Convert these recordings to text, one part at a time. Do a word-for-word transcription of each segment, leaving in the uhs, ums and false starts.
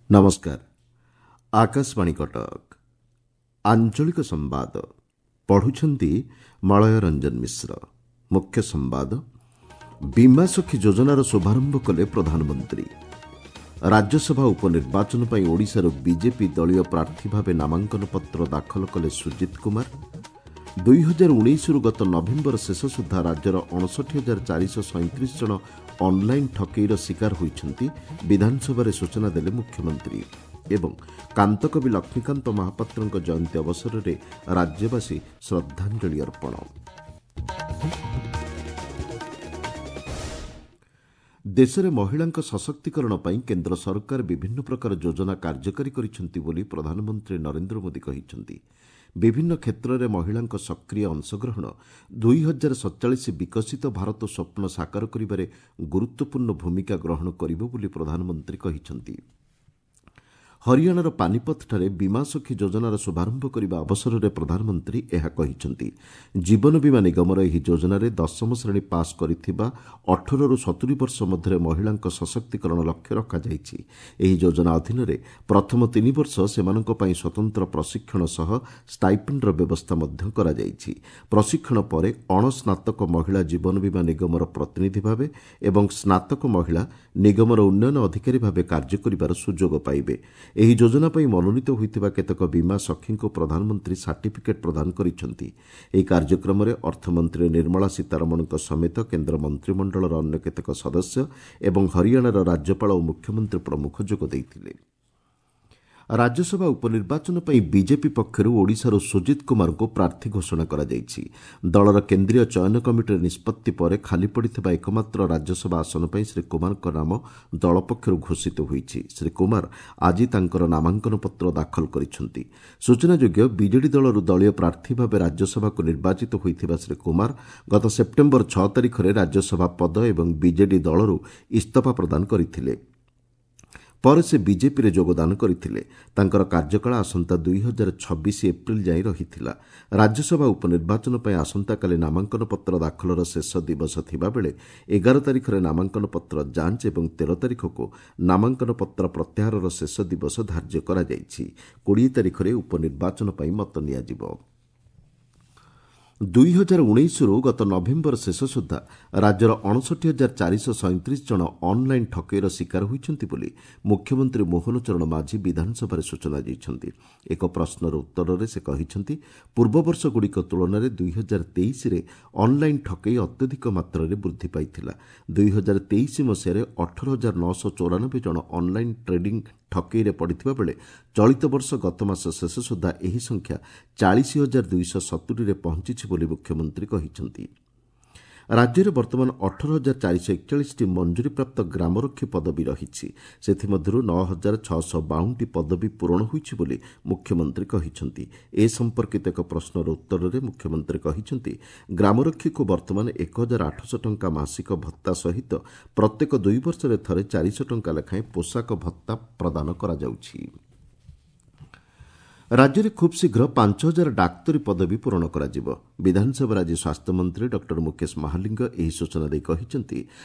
ନମସ୍କାର ଆକାଶବାଣୀ କଟକ ଆଞ୍ଚଳିକ ସମ୍ବାଦ ପଢୁଛନ୍ତି ମଳୟ ରଞ୍ଜନ ମିଶ୍ର ମୁଖ୍ୟ ସମ୍ବାଦ ବୀମା ସଖୀ ଯୋଜନାର ଶୁଭାରମ୍ଭ କଲେ ପ୍ରଧାନମନ୍ତ୍ରୀ ରାଜ୍ୟସଭା ଉପନିର୍ବାଚନ ପାଇଁ ଓଡ଼ିଶାରୁ ବିଜେପି ଦଳୀୟ ପ୍ରାର୍ଥୀ ଭାବେ ନାମାଙ୍କନ ପତ୍ର ଦାଖଲ କଲେ ସୁଜିତ କୁମାର ଦୁଇ ହଜାର ଉଣେଇଶରୁ ଗତ ନଭେମ୍ବର ଶେଷ ସୁଦ୍ଧା ରାଜ୍ୟର ଅଣଷଠି ହଜାର ଚାରିଶହ ସଇଁତିରିଶ ଜଣ ଅନ୍ଲାଇନ୍ ଠକେଇର ଶିକାର ହୋଇଛନ୍ତି ବିଧାନସଭାରେ ସୂଚନା ଦେଲେ ମୁଖ୍ୟମନ୍ତ୍ରୀ ଏବଂ କାନ୍ତକବି ଲକ୍ଷ୍ମୀକାନ୍ତ ମହାପାତ୍ରଙ୍କ ଜୟନ୍ତୀ ଅବସରରେ ରାଜ୍ୟବାସୀ ଶ୍ରଦ୍ଧାଞ୍ଜଳି ଅର୍ପଣ ଦେଶରେ ମହିଳାଙ୍କ ସଶକ୍ତିକରଣ ପାଇଁ କେନ୍ଦ୍ର ସରକାର ବିଭିନ୍ନ ପ୍ରକାର ଯୋଜନା କାର୍ଯ୍ୟକାରୀ କରିଛନ୍ତି ବୋଲି ପ୍ରଧାନମନ୍ତ୍ରୀ ନରେନ୍ଦ୍ର ମୋଦି କହିଛନ୍ତି ବିଭିନ୍ନ କ୍ଷେତ୍ରରେ ମହିଳାଙ୍କ ସକ୍ରିୟ ଅଂଶଗ୍ରହଣ ଦୁଇ ହଜାର ସତଚାଳିଶ ବିକଶିତ ଭାରତ ସ୍ୱପ୍ନ ସାକାର କରିବାରେ ଗୁରୁତ୍ୱପୂର୍ଣ୍ଣ ଭୂମିକା ଗ୍ରହଣ କରିବ ବୋଲି ପ୍ରଧାନମନ୍ତ୍ରୀ କହିଛନ୍ତି ହରିୟାଣାର ପାନିପଥଠାରେ ବୀମା ସଖୀ ଯୋଜନାର ଶୁଭାରମ୍ଭ କରିବା ଅବସରରେ ପ୍ରଧାନମନ୍ତ୍ରୀ ଏହା କହିଛନ୍ତି ଜୀବନ ବୀମା ନିଗମର ଏହି ଯୋଜନାରେ ଦଶମ ଶ୍ରେଣୀ ପାସ୍ କରିଥିବା ଅଠରରୁ ସତୁରି ବର୍ଷ ମଧ୍ୟରେ ମହିଳାଙ୍କ ସଶକ୍ତିକରଣ ଲକ୍ଷ୍ୟ ରଖାଯାଇଛି ଏହି ଯୋଜନା ଅଧୀନରେ ପ୍ରଥମ ତିନି ବର୍ଷ ସେମାନଙ୍କ ପାଇଁ ସ୍ୱତନ୍ତ୍ର ପ୍ରଶିକ୍ଷଣ ସହ ଷ୍ଟାଇପେଣ୍ଡର ବ୍ୟବସ୍ଥା ମଧ୍ୟ କରାଯାଇଛି ପ୍ରଶିକ୍ଷଣ ପରେ ଅଣସ୍ନାତକ ମହିଳା ଜୀବନ ବୀମା ନିଗମର ପ୍ରତିନିଧି ଭାବେ ଏବଂ ସ୍ନାତକ ମହିଳା ନିଗମର ଉନ୍ନୟନ ଅଧିକାରୀ ଭାବେ କାର୍ଯ୍ୟ କରିବାର ସୁଯୋଗ ପାଇବେ ଏହି ଯୋଜନା ପାଇଁ ମନୋନୀତ ହୋଇଥିବା କେତେକ ବୀମା ସଖୀଙ୍କୁ ପ୍ରଧାନମନ୍ତ୍ରୀ ସାର୍ଟିଫିକେଟ୍ ପ୍ରଦାନ କରିଛନ୍ତି ଏହି କାର୍ଯ୍ୟକ୍ରମରେ ଅର୍ଥମନ୍ତ୍ରୀ ନିର୍ମଳା ସୀତାରମଣଙ୍କ ସମେତ କେନ୍ଦ୍ର ମନ୍ତ୍ରିମଣ୍ଡଳର ଅନ୍ୟ କେତେକ ସଦସ୍ୟ ଏବଂ ହରିୟାଣାର ରାଜ୍ୟପାଳ ଓ ମୁଖ୍ୟମନ୍ତ୍ରୀ ପ୍ରମୁଖ ଯୋଗ ଦେଇଥିଲେ ରାଜ୍ୟସଭା ଉପନିର୍ବାଚନ ପାଇଁ ବିଜେପି ପକ୍ଷରୁ ଓଡ଼ିଶାରୁ ସୁଜିତ କୁମାରଙ୍କୁ ପ୍ରାର୍ଥୀ ଘୋଷଣା କରାଯାଇଛି ଦଳର କେନ୍ଦ୍ରୀୟ ଚୟନ କମିଟିର ନିଷ୍ପତ୍ତି ପରେ ଖାଲି ପଡ଼ିଥିବା ଏକମାତ୍ର ରାଜ୍ୟସଭା ଆସନ ପାଇଁ ଶ୍ରୀ କୁମାରଙ୍କ ନାମ ଦଳ ପକ୍ଷରୁ ଘୋଷିତ ହୋଇଛି ଶ୍ରୀ କୁମାର ଆଜି ତାଙ୍କର ନାମାଙ୍କନ ପତ୍ର ଦାଖଲ କରିଛନ୍ତି ସୂଚନାଯୋଗ୍ୟ ବିଜେଡି ଦଳରୁ ଦଳୀୟ ପ୍ରାର୍ଥୀ ଭାବେ ରାଜ୍ୟସଭାକୁ ନିର୍ବାଚିତ ହୋଇଥିବା ଶ୍ରୀ କୁମାର ଗତ ସେପ୍ଟେମ୍ବର ଛଅ ତାରିଖରେ ରାଜ୍ୟସଭା ପଦ ଏବଂ ବିଜେଡି ଦଳରୁ ଇସ୍ତଫା ପ୍ରଦାନ କରିଥିଲେ ପରେ ସେ ବିଜେପିରେ ଯୋଗଦାନ କରିଥିଲେ ତାଙ୍କର କାର୍ଯ୍ୟକାଳ ଆସନ୍ତା ଦୁଇ ହଜାର ଛବିଶ ଏପ୍ରିଲ ଯାଏଁ ରହିଥିଲା ରାଜ୍ୟସଭା ଉପନିର୍ବାଚନ ପାଇଁ ଆସନ୍ତାକାଲି ନାମାଙ୍କନ ପତ୍ର ଦାଖଲର ଶେଷ ଦିବସ ଥିବାବେଳେ ଏଗାର ତାରିଖରେ ନାମାଙ୍କନ ପତ୍ର ଯାଞ୍ଚ ଏବଂ ତେର ତାରିଖକୁ ନାମାଙ୍କନ ପତ୍ର ପ୍ରତ୍ୟାହାରର ଶେଷ ଦିବସ ଧାର୍ଯ୍ୟ କରାଯାଇଛି କୋଡ଼ିଏ ତାରିଖରେ ଉପନିର୍ବାଚନ ପାଇଁ ମତ ନିଆଯିବ ଦୁଇ ହଜାର ଉଣେଇଶରୁ ଗତ ନଭେମ୍ବର ଶେଷ ସୁଦ୍ଧା ରାଜ୍ୟର ଅଣଷଠି ହଜାର ଚାରିଶହ ସଇଁତିରିଶ ଜଣ ଅନ୍ଲାଇନ୍ ଠକେଇର ଶିକାର ହୋଇଛନ୍ତି ବୋଲି ମୁଖ୍ୟମନ୍ତ୍ରୀ ମୋହନ ଚରଣ ମାଝୀ ବିଧାନସଭାରେ ସୂଚନା ଦେଇଛନ୍ତି ଏକ ପ୍ରଶ୍ନର ଉତ୍ତରରେ ସେ କହିଛନ୍ତି ପୂର୍ବବର୍ଷଗୁଡ଼ିକ ତୁଳନାରେ ଦୁଇ ହଜାର ତେଇଶରେ ଅନ୍ଲାଇନ୍ ଠକେଇ ଅତ୍ୟଧିକ ମାତ୍ରାରେ ବୃଦ୍ଧି ପାଇଥିଲା ଦୁଇ ହଜାର ତେଇଶ ମସିହାରେ ଅଠର ହଜାର ନଅଶହ ଚଉରାନବେ ଜଣ ଅନ୍ଲାଇନ୍ ଟ୍ରେଡିଂ ଠକେଇରେ ପଡ଼ିଥିବା ବେଳେ ଚଳିତ ବର୍ଷ ଗତ ମାସ ଶେଷ ସୁଦ୍ଧା ଏହି ସଂଖ୍ୟା ଚାଳିଶ ହଜାର ଦୁଇଶହ ସତୁରିରେ ପହଞ୍ଚିଛି ବୋଲି ମୁଖ୍ୟମନ୍ତ୍ରୀ କହିଛନ୍ତି ରାଜ୍ୟରେ ବର୍ତ୍ତମାନ ଅଠର ହଜାର ଚାରିଶହ ଏକଚାଳିଶଟି ମଞ୍ଜୁରୀପ୍ରାପ୍ତ ଗ୍ରାମରକ୍ଷୀ ପଦବୀ ରହିଛି ସେଥିମଧ୍ୟରୁ ନଅ ହଜାର ଛଅଶହ ବାଉନଟି ପଦବୀ ପୂରଣ ହୋଇଛି ବୋଲି ମୁଖ୍ୟମନ୍ତ୍ରୀ କହିଛନ୍ତି ଏ ସମ୍ପର୍କିତ ଏକ ପ୍ରଶ୍ନର ଉତ୍ତରରେ ମୁଖ୍ୟମନ୍ତ୍ରୀ କହିଛନ୍ତି ଗ୍ରାମରକ୍ଷୀକୁ ବର୍ତ୍ତମାନ ଏକ ହଜାର ଆଠଶହ ଟଙ୍କା ମାସିକ ଭତ୍ତା ସହିତ ପ୍ରତ୍ୟେକ ଦୁଇ ବର୍ଷରେ ଥରେ ଚାରିଶହ ଟଙ୍କା ଲେଖାଏଁ ପୋଷାକ ଭତ୍ତା ପ୍ରଦାନ କରାଯାଉଛି ରାଜ୍ୟରେ ଖୁବ୍ ଶୀଘ୍ର ପାଞ୍ଚ ହଜାର ଡାକ୍ତରୀ ପଦବୀ ପୂରଣ କରାଯିବ ବିଧାନସଭାରେ ଆଜି ସ୍ୱାସ୍ଥ୍ୟମନ୍ତ୍ରୀ ଡକ୍ଟର ମୁକେଶ ମହାଲିଙ୍ଗ ଏହି ସୂଚନା ଦେଇ କହିଛନ୍ତି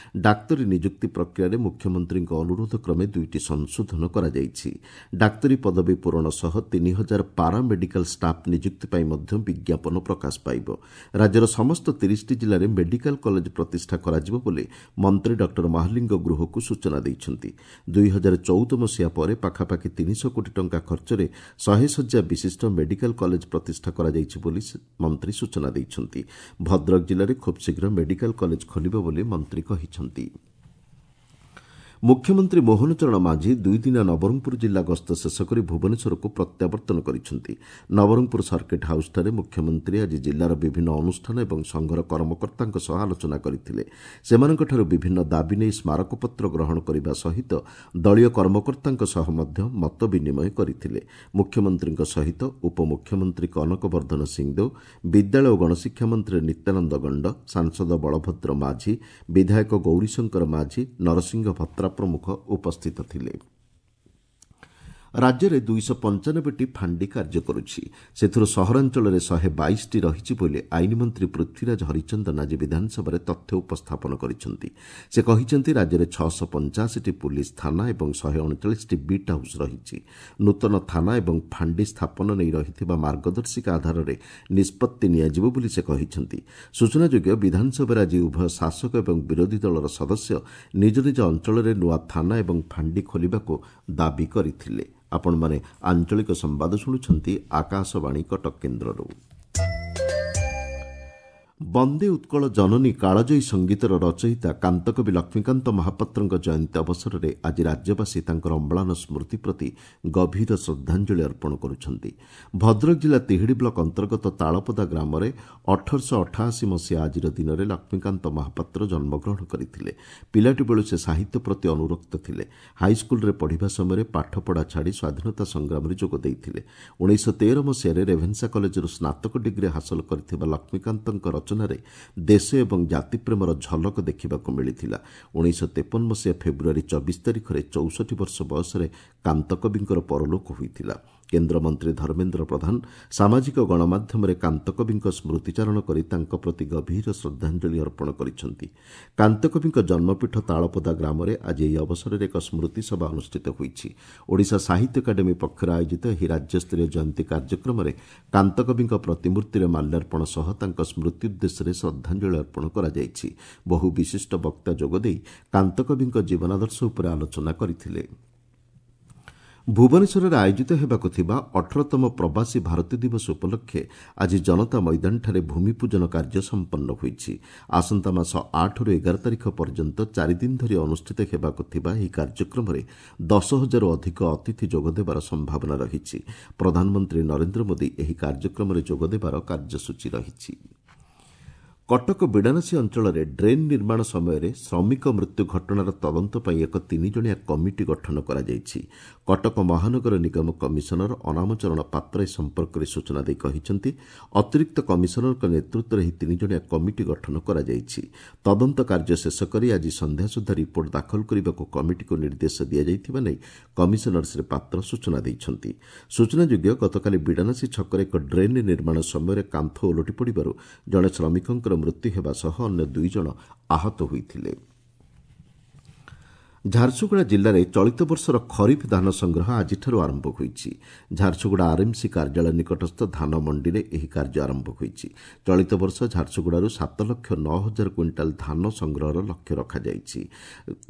ଡାକ୍ତରୀ ନିଯୁକ୍ତି ପ୍ରକ୍ରିୟାରେ ମୁଖ୍ୟମନ୍ତ୍ରୀଙ୍କ ଅନୁରୋଧ କ୍ରମେ ଦୁଇଟି ସଂଶୋଧନ କରାଯାଇଛି ଡାକ୍ତରୀ ପଦବୀ ପୂରଣ ସହ ତିନି ହଜାର ପାରା ମେଡିକାଲ ଷ୍ଟାଫ୍ ନିଯୁକ୍ତି ପାଇଁ ମଧ୍ୟ ବିଜ୍ଞାପନ ପ୍ରକାଶ ପାଇବ ରାଜ୍ୟର ସମସ୍ତ ତିରିଶଟି ଜିଲ୍ଲାରେ ମେଡିକାଲ କଲେଜ ପ୍ରତିଷ୍ଠା କରାଯିବ ବୋଲି ମନ୍ତ୍ରୀ ଡକ୍ଟର ମହାଲିଙ୍ଗ ଗୃହକୁ ସୂଚନା ଦେଇଛନ୍ତି ଦୁଇ ହଜାର ଚଉଦ ମସିହା ପରେ ପାଖାପାଖି ତିନିଶହ କୋଟି ଟଙ୍କା ଖର୍ଚ୍ଚରେ ଶହେ ଶଯ୍ୟା ବିଶିଷ୍ଟ ମେଡିକାଲ କଲେଜ ପ୍ରତିଷ୍ଠା କରାଯାଇଛି ବୋଲି ମନ୍ତ୍ରୀ ସୂଚନା ଦେଇଛନ୍ତି ଭଦ୍ରକ ଜିଲ୍ଲାରେ ଖୁବ୍ ଶୀଘ୍ର ମେଡିକାଲ କଲେଜ ଖୋଲିବ ବୋଲି ମନ୍ତ୍ରୀ କହିଛନ୍ତି ମୁଖ୍ୟମନ୍ତ୍ରୀ ମୋହନ ଚରଣ ମାଝୀ ଦୁଇଦିନିଆ ନବରଙ୍ଗପୁର ଜିଲ୍ଲା ଗସ୍ତ ଶେଷ କରି ଭୁବନେଶ୍ୱରକୁ ପ୍ରତ୍ୟାବର୍ତ୍ତନ କରିଛନ୍ତି ନବରଙ୍ଗପୁର ସର୍କିଟ୍ ହାଉସ୍ଠାରେ ମୁଖ୍ୟମନ୍ତ୍ରୀ ଆଜି ଜିଲ୍ଲାର ବିଭିନ୍ନ ଅନୁଷ୍ଠାନ ଏବଂ ସଂଘର କର୍ମକର୍ତ୍ତାଙ୍କ ସହ ଆଲୋଚନା କରିଥିଲେ ସେମାନଙ୍କଠାରୁ ବିଭିନ୍ନ ଦାବି ନେଇ ସ୍ମାରକପତ୍ର ଗ୍ରହଣ କରିବା ସହିତ ଦଳୀୟ କର୍ମକର୍ତ୍ତାଙ୍କ ସହ ମଧ୍ୟ ମତ ବିନିମୟ କରିଥିଲେ ମୁଖ୍ୟମନ୍ତ୍ରୀଙ୍କ ସହିତ ଉପମୁଖ୍ୟମନ୍ତ୍ରୀ କନକ ବର୍ଦ୍ଧନ ସିଂଦେଓ ବିଦ୍ୟାଳୟ ଓ ଗଣଶିକ୍ଷା ମନ୍ତ୍ରୀ ନିତ୍ୟାନନ୍ଦ ଗଣ୍ଡ ସାଂସଦ ବଳଭଦ୍ର ମାଝୀ ବିଧାୟକ ଗୌରୀଶଙ୍କର ମାଝୀ ନରସିଂହ ଭତ୍ରା ପ୍ରମୁଖ ଉପସ୍ଥିତ ଥିଲେ ରାଜ୍ୟରେ ଦୁଇଶହ ପଞ୍ଚାନବେଟି ଫାଣ୍ଡି କାର୍ଯ୍ୟ କରୁଛି। ସେଥିରୁ ସହରାଞ୍ଚଳରେ ଶହେ ବାଇଶଟି ରହିଛି ବୋଲି ଆଇନ ମନ୍ତ୍ରୀ ପୃଥ୍ୱୀରାଜ ହରିଚନ୍ଦନ ଆଜି ବିଧାନସଭାରେ ତଥ୍ୟ ଉପସ୍ଥାପନ କରିଛନ୍ତି। ସେ କହିଛନ୍ତି, ରାଜ୍ୟରେ ଛଅଶହ ପଞ୍ଚାଅଶୀଟି ପୁଲିସ୍ ଥାନା ଏବଂ ଶହେ ଅଣଚାଳିଶଟି ବିଟ୍ ହାଉସ୍ ରହିଛି। ନୂତନ ଥାନା ଏବଂ ଫାଣ୍ଡି ସ୍ଥାପନ ନେଇ ରହିଥିବା ମାର୍ଗଦର୍ଶିକା ଆଧାରରେ ନିଷ୍ପତ୍ତି ନିଆଯିବ ବୋଲି ସେ କହିଛନ୍ତି। ସୂଚନାଯୋଗ୍ୟ, ବିଧାନସଭାରେ ଆଜି ଉଭୟ ଶାସକ ଏବଂ ବିରୋଧୀ ଦଳର ସଦସ୍ୟ ନିଜ ନିଜ ଅଞ୍ଚଳରେ ନୂଆ ଥାନା ଏବଂ ଫାଣ୍ଡି ଖୋଲିବାକୁ ଦାବି କରିଥିଲେ। ଆପଣମାନେ ଆଞ୍ଚଳିକ ସମ୍ବାଦ ଶୁଣୁଛନ୍ତି ଆକାଶବାଣୀ କଟକ କେନ୍ଦ୍ରରୁ। ବନ୍ଦେ ଉତ୍କଳ ଜନନୀ କାଳଜୟୀ ସଙ୍ଗୀତର ରଚୟିତା କାନ୍ତକବି ଲକ୍ଷ୍ମୀକାନ୍ତ ମହାପାତ୍ରଙ୍କ ଜୟନ୍ତୀ ଅବସରରେ ଆଜି ରାଜ୍ୟବାସୀ ତାଙ୍କର ଅମ୍ଳାନ ସ୍ମୃତି ପ୍ରତି ଗଭୀର ଶ୍ରଦ୍ଧାଞ୍ଜଳି ଅର୍ପଣ କରୁଛନ୍ତି। ଭଦ୍ରକ ଜିଲ୍ଲା ତିହିଡ଼ି ବ୍ଲକ ଅନ୍ତର୍ଗତ ତାଳପଦା ଗ୍ରାମରେ ଅଠରଶହ ଅଠାଅଶୀ ମସିହା ଆଜିର ଦିନରେ ଲକ୍ଷ୍ମୀକାନ୍ତ ମହାପାତ୍ର ଜନ୍ମଗ୍ରହଣ କରିଥିଲେ। ପିଲାଟି ବେଳୁ ସେ ସାହିତ୍ୟ ପ୍ରତି ଅନୁରକ୍ତ ଥିଲେ। ହାଇସ୍କୁଲରେ ପଢ଼ିବା ସମୟରେ ପାଠପଢ଼ା ଛାଡ଼ି ସ୍ୱାଧୀନତା ସଂଗ୍ରାମରେ ଯୋଗ ଦେଇଥିଲେ। ଉଣେଇଶହ ତେର ମସିହାରେ ରେଭେନ୍ସା କଲେଜରୁ ସ୍ନାତକ ଡିଗ୍ରୀ ହାସଲ କରିଥିବା ଲକ୍ଷ୍ମୀକାନ୍ତଙ୍କ ରଚନାରେ ଦେଶ ଏବଂ ଜାତିପ୍ରେମର ଝଲକ ଦେଖିବାକୁ ମିଳିଥିଲା। ଉଣେଇଶହ ତେପନ ମସିହା ଫେବୃଆରୀ ଚବିଶ ତାରିଖରେ ଚଉଷଠି ବର୍ଷ ବୟସରେ କାନ୍ତକବିଙ୍କର ପରଲୋକ ହୋଇଥିଲା। କେନ୍ଦ୍ରମନ୍ତ୍ରୀ ଧର୍ମେନ୍ଦ୍ର ପ୍ରଧାନ ସାମାଜିକ ଗଣମାଧ୍ୟମରେ କାନ୍ତକବିଙ୍କ ସ୍ମୃତିଚାରଣ କରି ତାଙ୍କ ପ୍ରତି ଗଭୀର ଶ୍ରଦ୍ଧାଞ୍ଜଳି ଅର୍ପଣ କରିଛନ୍ତି। କାନ୍ତକବିଙ୍କ ଜନ୍ମପୀଠ ତାଳପଦା ଗ୍ରାମରେ ଆଜି ଏହି ଅବସରରେ ଏକ ସ୍ମୃତିସଭା ଅନୁଷ୍ଠିତ ହୋଇଛି। ଓଡ଼ିଶା ସାହିତ୍ୟ ଏକାଡେମୀ ପକ୍ଷରୁ ଆୟୋଜିତ ଏହି ରାଜ୍ୟସ୍ତରୀୟ ଜୟନ୍ତୀ କାର୍ଯ୍ୟକ୍ରମରେ କାନ୍ତକବିଙ୍କ ପ୍ରତିମୂର୍ତ୍ତିରେ ମାଲ୍ୟାର୍ପଣ ସହ ତାଙ୍କ ସ୍ମୃତି ଉଦ୍ଦେଶ୍ୟରେ ଶ୍ରଦ୍ଧାଞ୍ଜଳି ଅର୍ପଣ କରାଯାଇଛି। ବହୁ ବିଶିଷ୍ଟ ବକ୍ତା ଯୋଗଦେଇ କାନ୍ତକବିଙ୍କ ଜୀବନାଦର୍ଶ ଉପରେ ଆଲୋଚନା କରିଥିଲେ। ଭୁବନେଶ୍ୱରରେ ଆୟୋଜିତ ହେବାକୁ ଥିବା ଅଠରତମ ପ୍ରବାସୀ ଭାରତୀୟ ଦିବସ ଉପଲକ୍ଷେ ଆଜି ଜନତା ମଇଦାନଠାରେ ଭୂମିପୂଜନ କାର୍ଯ୍ୟ ସମ୍ପନ୍ନ ହୋଇଛି। ଆସନ୍ତା ମାସ ଆଠରୁ ଏଗାର ତାରିଖ ପର୍ଯ୍ୟନ୍ତ ଚାରିଦିନ ଧରି ଅନୁଷ୍ଠିତ ହେବାକୁ ଥିବା ଏହି କାର୍ଯ୍ୟକ୍ରମରେ ଦଶ ହଜାରରୁ ଅଧିକ ଅତିଥି ଯୋଗଦେବାର ସମ୍ଭାବନା ରହିଛି। ପ୍ରଧାନମନ୍ତ୍ରୀ ନରେନ୍ଦ୍ର ମୋଦି ଏହି କାର୍ଯ୍ୟକ୍ରମରେ ଯୋଗଦେବାର କାର୍ଯ୍ୟସୂଚୀ ରହିଛି। କଟକ ବିଡ଼ାନାସୀ ଅଞ୍ଚଳରେ ଡ୍ରେନ୍ ନିର୍ମାଣ ସମୟରେ ଶ୍ରମିକ ମୃତ୍ୟୁ ଘଟଣାର ତଦନ୍ତ ପାଇଁ ଏକ ତିନିଜଣିଆ କମିଟି ଗଠନ କରାଯାଇଛି। କଟକ ମହାନଗର ନିଗମ କମିଶନର ଅନାମ ଚରଣ ପାତ୍ର ଏ ସମ୍ପର୍କରେ ସୂଚନା ଦେଇ କହିଛନ୍ତି, ଅତିରିକ୍ତ କମିଶନରଙ୍କ ନେତୃତ୍ୱରେ ଏହି ତିନିଜଣିଆ କମିଟି ଗଠନ କରାଯାଇଛି। ତଦନ୍ତ କାର୍ଯ୍ୟ ଶେଷ କରି ଆଜି ସନ୍ଧ୍ୟା ସୁଦ୍ଧା ରିପୋର୍ଟ ଦାଖଲ କରିବାକୁ କମିଟିକୁ ନିର୍ଦ୍ଦେଶ ଦିଆଯାଇଥିବା ନେଇ କମିଶନର ଶ୍ରୀ ପାତ୍ର ସୂଚନା ଦେଇଛନ୍ତି। ସୂଚନାଯୋଗ୍ୟ, ଗତକାଲି ବିଡ଼ାନାସୀ ଛକରେ ଏକ ଡ୍ରେନ୍ ନିର୍ମାଣ ସମୟରେ କାନ୍ଥ ଓଲଟି ପଡ଼ିବାରୁ ଜଣେ ଶ୍ରମିକଙ୍କର ମୃତ୍ୟୁ ହେବା ସହ ଅନ୍ୟ ଦୁଇ ଜଣ ଆହତ ହୋଇଥିଲେ। ଝାରସୁଗୁଡ଼ା ଜିଲ୍ଲାରେ ଚଳିତ ବର୍ଷର ଖରିଫ ଧାନ ସଂଗ୍ରହ ଆଜିଠାରୁ ଆରମ୍ଭ ହୋଇଛି। ଝାରସୁଗୁଡ଼ା ଆର୍ଏମ୍ସି କାର୍ଯ୍ୟାଳୟ ନିକଟସ୍ଥ ଧାନ ମଣ୍ଡିରେ ଏହି କାର୍ଯ୍ୟ ଆରମ୍ଭ ହୋଇଛି। ଚଳିତ ବର୍ଷ ଝାରସୁଗୁଡ଼ାରୁ ସାତ ଲକ୍ଷ ନଅ ହଜାର କୁଇଣ୍ଟାଲ ଧାନ ସଂଗ୍ରହର ଲକ୍ଷ୍ୟ ରଖାଯାଇଛି।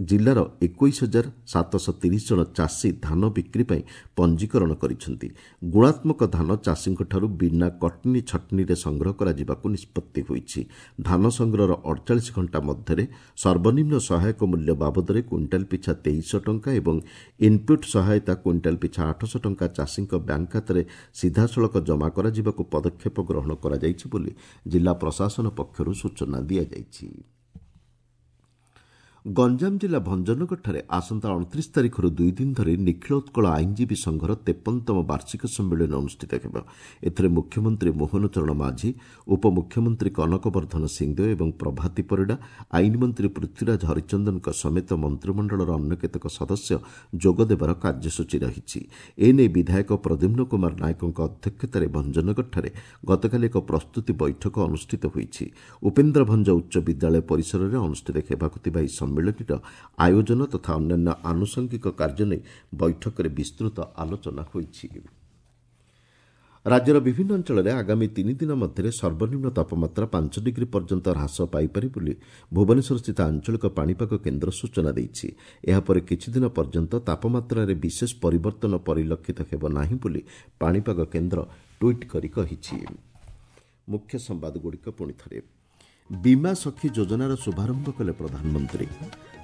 ଜିଲ୍ଲାର ଏକୋଇଶ ହଜାର ସାତଶହ ତିରିଶ ଜଣ ଚାଷୀ ଧାନ ବିକ୍ରି ପାଇଁ ପଞ୍ଜୀକରଣ କରିଛନ୍ତି। ଗୁଣାତ୍ମକ ଧାନ ଚାଷୀଙ୍କଠାରୁ ବିନା କଟନୀ ଛଟନୀରେ ସଂଗ୍ରହ କରାଯିବାକୁ ନିଷ୍ପତ୍ତି ହୋଇଛି। ଧାନ ସଂଗ୍ରହର ଅଡ଼ଚାଳିଶ ଘଣ୍ଟା ମଧ୍ୟରେ ସର୍ବନିମ୍ନ ସହାୟକ ମୂଲ୍ୟ ବାବଦରେ କୁଇଣ୍ଟାଲ ପିଛା ତେଇଶଶହ ଟଙ୍କା ଏବଂ ଇନ୍ପୁଟ୍ ସହାୟତା କୁଇଣ୍ଟାଲ ପିଛା ଆଠଶହ ଟଙ୍କା ଚାଷୀଙ୍କ ବ୍ୟାଙ୍କ ଖାତାରେ ସିଧାସଳଖ ଜମା କରାଯିବାକୁ ପଦକ୍ଷେପ ଗ୍ରହଣ କରାଯାଇଛି ବୋଲି ଜିଲ୍ଲା ପ୍ରଶାସନ ପକ୍ଷରୁ ସୂଚନା ଦିଆଯାଇଛି। ଗଞ୍ଜାମ ଜିଲ୍ଲା ଭଞ୍ଜନଗରଠାରେ ଆସନ୍ତା ଅଣତିରିଶ ତାରିଖରୁ ଦୁଇ ଦିନ ଧରି ନିଖିଳ ଉତ୍କଳ ଆଇନଜୀବୀ ସଂଘର ତେପନତମ ବାର୍ଷିକ ସମ୍ମିଳନୀ ଅନୁଷ୍ଠିତ ହେବ। ଏଥିରେ ମୁଖ୍ୟମନ୍ତ୍ରୀ ମୋହନ ଚରଣ ମାଝୀ, ଉପମୁଖ୍ୟମନ୍ତ୍ରୀ କନକ ବର୍ଦ୍ଧନ ସିଂଦେଓ ଏବଂ ପ୍ରଭାତୀ ପରିଡ଼ା, ଆଇନମନ୍ତ୍ରୀ ପୃଥ୍ୱୀରାଜ ହରିଚନ୍ଦନଙ୍କ ସମେତ ମନ୍ତ୍ରିମଣ୍ଡଳର ଅନ୍ୟ କେତେକ ସଦସ୍ୟ ଯୋଗଦେବାର କାର୍ଯ୍ୟସୂଚୀ ରହିଛି। ଏନେଇ ବିଧାୟକ ପ୍ରଦ୍ୟୁମ୍ନ କୁମାର ନାୟକଙ୍କ ଅଧ୍ୟକ୍ଷତାରେ ଭଞ୍ଜନଗରଠାରେ ଗତକାଲି ଏକ ପ୍ରସ୍ତୁତି ବୈଠକ ଅନୁଷ୍ଠିତ ହୋଇଛି। ଉପେନ୍ଦ୍ର ଭଞ୍ଜ ଉଚ୍ଚ ବିଦ୍ୟାଳୟ ପରିସରରେ ଅନୁଷ୍ଠିତ ହେବାକୁ ଥିବା ଏହି ସମ୍ମିଳନୀର ଆୟୋଜନ ତଥା ଅନ୍ୟାନ୍ୟ ଆନୁଷଙ୍ଗିକ କାର୍ଯ୍ୟ ନେଇ ବୈଠକରେ ବିସ୍ତୃତ ଆଲୋଚନା ହୋଇଛି। ରାଜ୍ୟର ବିଭିନ୍ନ ଅଞ୍ଚଳରେ ଆଗାମୀ ତିନି ଦିନ ମଧ୍ୟରେ ସର୍ବନିମ୍ନ ତାପମାତ୍ରା ପାଞ୍ଚ ଡିଗ୍ରୀ ପର୍ଯ୍ୟନ୍ତ ହ୍ରାସ ପାଇପାରେ ବୋଲି ଭୁବନେଶ୍ୱରସ୍ଥିତ ଆଞ୍ଚଳିକ ପାଣିପାଗ କେନ୍ଦ୍ର ସୂଚନା ଦେଇଛି। ଏହାପରେ କିଛିଦିନ ପର୍ଯ୍ୟନ୍ତ ତାପମାତ୍ରାରେ ବିଶେଷ ପରିବର୍ତ୍ତନ ପରିଲକ୍ଷିତ ହେବ ନାହିଁ ବୋଲି ପାଣିପାଗ କେନ୍ଦ୍ର ଟ୍ୱିଟ୍ କରି କହିଛି। ମୁଖ୍ୟ ସମ୍ବାଦଗୁଡ଼ିକ ପୁଣିଥରେ। ବୀମା ସଖୀ ଯୋଜନାର ଶୁଭାରମ୍ଭ କଲେ ପ୍ରଧାନମନ୍ତ୍ରୀ।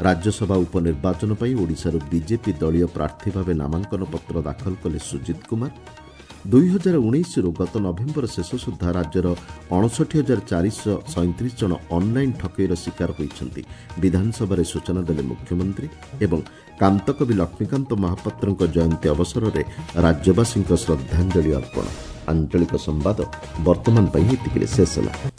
ରାଜ୍ୟସଭା ଉପନିର୍ବାଚନ ପାଇଁ ଓଡ଼ିଶାରୁ ବିଜେପି ଦଳୀୟ ପ୍ରାର୍ଥୀ ଭାବେ ନାମାଙ୍କନ ପତ୍ର ଦାଖଲ କଲେ ସୁଜିତ କୁମାର। ଦୁଇ ହଜାର ଉଣେଇଶରୁ ଗତ ନଭେମ୍ବର ଶେଷ ସୁଦ୍ଧା ରାଜ୍ୟର ଅଣଷଠି ହଜାର ଚାରିଶହ ସଇଁତିରିଶ ଜଣ ଅନ୍ଲାଇନ୍ ଠକେଇର ଶିକାର ହୋଇଛନ୍ତି, ବିଧାନସଭାରେ ସୂଚନା ଦେଲେ ମୁଖ୍ୟମନ୍ତ୍ରୀ। ଏବଂ କାନ୍ତକବି ଲକ୍ଷ୍ମୀକାନ୍ତ ମହାପାତ୍ରଙ୍କ ଜୟନ୍ତୀ ଅବସରରେ ରାଜ୍ୟବାସୀଙ୍କ ଶ୍ରଦ୍ଧାଞ୍ଜଳି ଅର୍ପଣ। ଆଞ୍ଚଳିକ ସମ୍ବାଦ ବର୍ତ୍ତମାନ ପାଇଁ ଏତିକିରେ ଶେଷ ହେଲା।